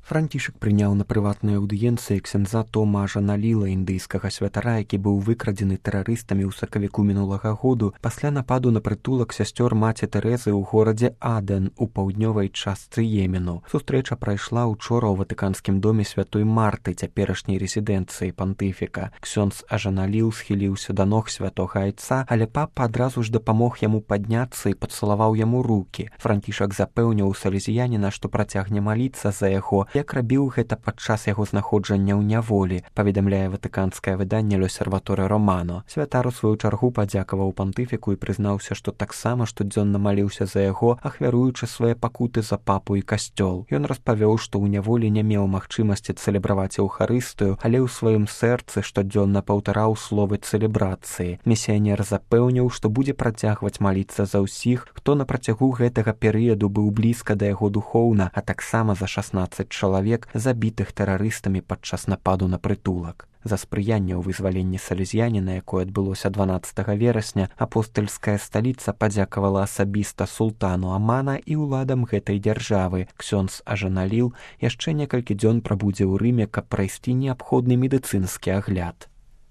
Францішак прыняў на прыватнай аўдыенцыі ксяндза Тома Ажаналіла, індыйскага святара, які быў выкрадзены тэрарыстамі ў сакавіку мінулага году пасля нападу на прытулак сясцёр маці Тэрэзы ў горадзе Аден у паўднёвай частцы Йемену. Сустрэча прайшла ўчора ў Ватыканскім доме святой Марты, цяперашняй рэзідэнцыі пантыфіка. Ксёндз Ажаналіл схіліўся да ног святога айца, але папа адразу ж дапамог яму падняцца і пацалаваў яму рукі. Францішак запэўніў салезіяніна, што працягне маліцца за яго, як рабіў гэта падчас яго знаходжання ў няволі, паведамляе ватыканскае выданне «L'Osservatore Romano». Святар у сваю чаргу падзякаваў пантыфіку і прызнаўся, што таксама штодзённа маліўся за яго, ахвяруючы свае пакуты за папу і касцёл. Ён распавёў, што ў няволі не меў магчымасці цэлебраваць еўхарыстыю, але ў сваім сэрцы штодзённа паўтараў словы цэлебрацыі. Місіянер запэўніў, што будзе працягваць маліцца за ўсіх, хто на працягу гэтага перыяду быў блізка да яго духоўна, а таксама за 16 чалавек, забітых тэрарыстамі падчас нападу на прытулак. За спрыянне ў вызваленні салезіяніна, якое адбылося 12 верасня, апостальская сталіца падзякавала асабіста султану Амана і ўладам гэтай дзяржавы. Ксёндз Ажаналіл яшчэ некалькі дзён прабудзе ў Рыме, каб прайсці неабходны медыцынскі агляд.